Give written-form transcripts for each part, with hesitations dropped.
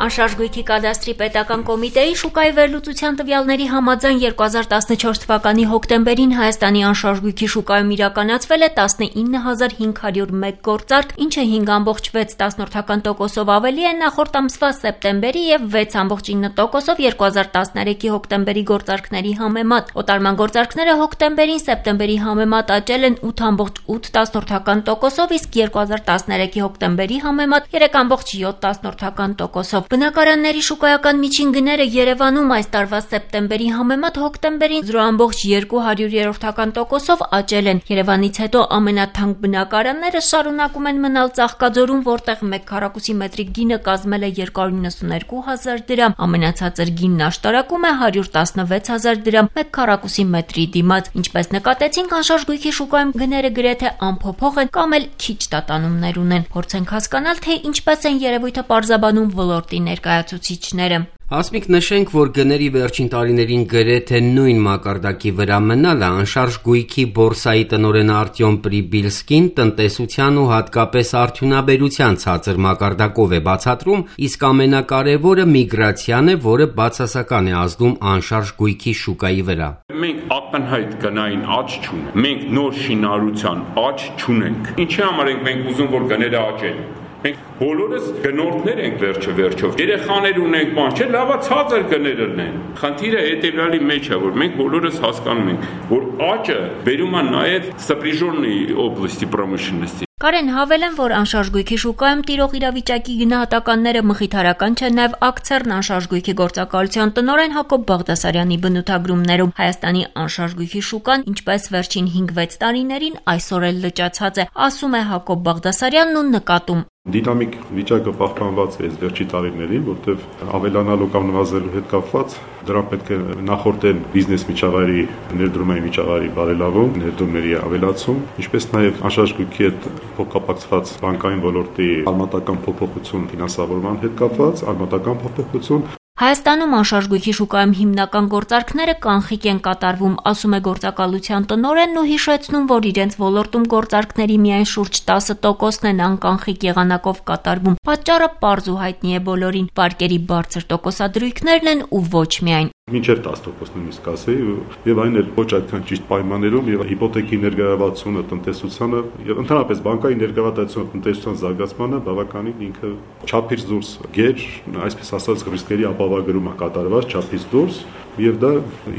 Անշարժ գույքի կադաստրի պետական կոմիտեի շուկայի վերլուծության տվյալների համաձայն 2014 թվականի հոկտեմբերին Հայաստանի անշարժ գույքի շուկայում իրականացվել է 19501 գործարք, ինչը 5,6%-ով ավելի է նախորդ ամսվա սեպտեմբերի եւ 6,9%-ով 2013-ի հոկտեմբերի գործարքների համեմատ։ Օտարման գործարքները հոկտեմբերին սեպտեմբերի համեմատ աճել են 8,8%-ով, իսկ 2013-ի հոկտեմբերի համեմատ 3,7%-ով։ Բնակարանների շուկայական միջին գները Երևանում այս տարվա սեպտեմբերի համեմատ հոկտեմբերին 0,2%-ով աճել են։ Երևանից հետո ամենաթանկ բնակարանները շարունակում են մնալ Ծաղկաձորում, որտեղ 1 քառակուսի մետրի գինը կազմել է 292,000 դրամ, ամենացածր գինն աշտարակում է 116,000 դրամ 1 քառակուսի մետրի դիմաց։ Ինչպես նկատեցինք, անշարժ գույքի շուկայում գները գրեթե անփոփոխ են կամ էլ քիչ տատանումներ ունեն։ Փորձենք հասկանալ, թե ինչպես են երևույթը պարզաբանում ոլորտի ներկայացուցիչները։ Հասմիկ, նշենք, որ գների վերջին տարիներին գրեթե նույն մակարդակի վրա մնալը անշարժ գույքի բորսայի տնօրեն Արտյոմ Պրիբիլսկին տնտեսության ու հատկապես արդյունաբերության ցածր մակարդակով է բացատրում, իսկ ամենակարևորը միգրացիան է, որը բացասական է ազդում անշարժ գույքի շուկայի վրա։ Մենք ակնհայտ գնային աճ չունենք, մենք նոր շինարարության աճ չունենք։ Ինչի համար ենք մենք ուզում, որ գները աճեն։ Մենք բոլորս գնորդներ ենք վերջով։ Երեխաներ ունենք, բան չէ, լավա ցածր գներն են։ Խնդիրը հետևյալի մեջ է, որ մենք բոլորս հասկանում ենք, որ աճը բերում է նաև սպրիժոնի օբլաստի պրոմышленности։ Կարեն հավելեն, որ անշարժ գույքի շուկայում տիրող իրավիճակի գնահատականները մխիթարական չեն, նաև ակցերն անշարժ գույքի գործակալության տնօրեն Հակոբ Բաղդասարյանի բնութագրումներում։ Հայաստանի անշարժ գույքի շուկան, ինչպես վերջին 5-6 տարիներին, այսօր էլ լճացած է, ասում է Հակոբ Բաղդասարյանն ու նկատում. Դինամիկ վիճակը պահպանված է այս վերջի տարիներին, որտեղ ավելանալու կամ նվազելու հետ կապված դրան պետք է նախորդեն բիզնես միջավայրի, ներդրումային միջավայրի բարելավում, ներդրումների ավելացում, ինչպես նաև անշարժ գույքի հետ փոխկապակցված բանկային ոլորտի արմատական փոփոխություն, ֆինանսավորման հետ կապված արմատական փոփոխություն։ Հայաստանում անշարժ գույքի շուկայում հիմնական գործարքները կանխիկ են կատարվում, ասում է գործակալության տնօրենն ու հիշեցնում, որ իրենց ոլորտում գործարքների միայն շուրջ 10%-ն են անկանխիկ եղանակով կատարվում։ Պատճառը պարզ ու հայտնի է բոլորին, վարկերի բարձր տոկոսադրույքներն են ու ոչ միայն։ Մինչև 10% նույնիսկ ասեի, եւ այն էլ ոչ այդքան ճիշտ պայմաններում, եւ հիպոթեքի ներգրավվածությունը տնտեսությանը եւ ընդհանրապես բանկային ներգրավվածությունը տնտեսության զարգացմանը բավականին ինքը չափից դուրս գեր, այսպես ասած, ռիսկերի ապահովագրումը կատարված չափից դուրս, եւ դա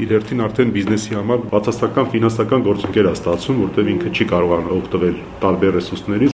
իր հերթին արդեն բիզնեսի համար բացասական ֆինանսական գործընկեր է ստացվում, որտեղ ինքը չի կարողանում օգտվել տարբեր ռեսուրսներից։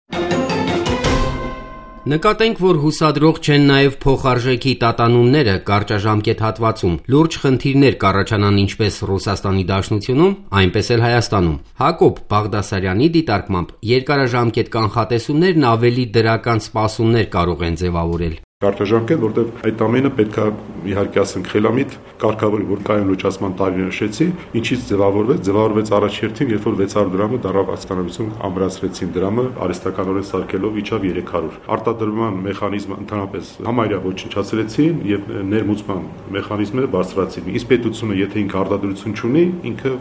Նկատենք, որ հուսադրող չեն նաև փոխարժեքի տատանումները կարճաժամկետ հատվածում։ Լուրջ խնդիրներ կառաջանան ինչպես Ռուսաստանի Դաշնությունում, այնպես էլ Հայաստանում։ Հակոբ Բաղդասարյանի դիտարկմամբ երկարաժամկետ կանխատեսումներն ավելի դրական սպասումներ կարող են ձևավորել։ Կարճաժամկետ, որտեղ այդ ամենը պետք է իհարկե ասենք խելամիտ կարգավորի, որ կայուն լուծացման տարիներ նշեցի, ինչից ձևավորվեց առաջերտին, երբ որ 600 դրամը դարավ աստանավություն ամրացրեցին դրամը արհեստականորեն սարքելով իջավ 300։ Արտադրման մեխանիզմը ընդհանրապես համարյա ոչնչացրեցին եւ ներմուծման մեխանիզմները բարձրացին։ Իսկ պետությունը, եթե ինքը արտադրություն չունի, ինքը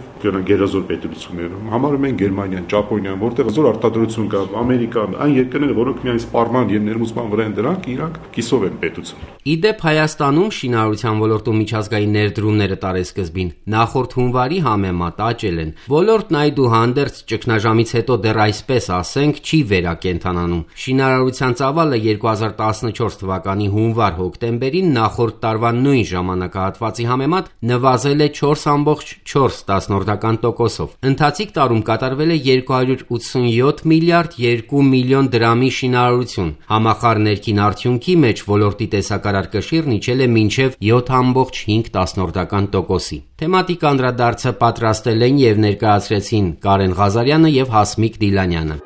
գերազոր պետություն է։ Համարում են Գերմանիան, Ճապոնիան, որտեղ զոր արտադրություն կա, Ամերիկան, այն երկրները, որոնք միայն սպառման եւ ներմուծման վրա են դրանք, իրանք Իդեպ Հայաստանում շինարարության ոլորտում միջազգային ներդրումները տարեսկզբին նախորդ հունվարի համեմատ աճել են։ Ոլորտն այդուհանդերձ ճգնաժամից հետո դեռ այսպես ասենք չի վերակենդանանում։ Շինարարության ծավալը 2014 թվականի հունվար-հոկտեմբերին նախորդ տարվա նույն ժամանակահատվածի համեմատ նվազել է 4,4%-ով։ Ընթացիկ տարում կատարվել է 287 միլիարդ 2 միլիոն դրամի շինարարություն։ Համախառն ներքին արդյունքի մեջ ոլորտի տեսակարար կշիռն իջել է մինչև 7,5%-ի։ Թեմատիկ անդրադարձը պատրաստել են եւ ներկայացրեցին Կարեն Ղազարյանը եւ Հասմիկ Դիլանյանը։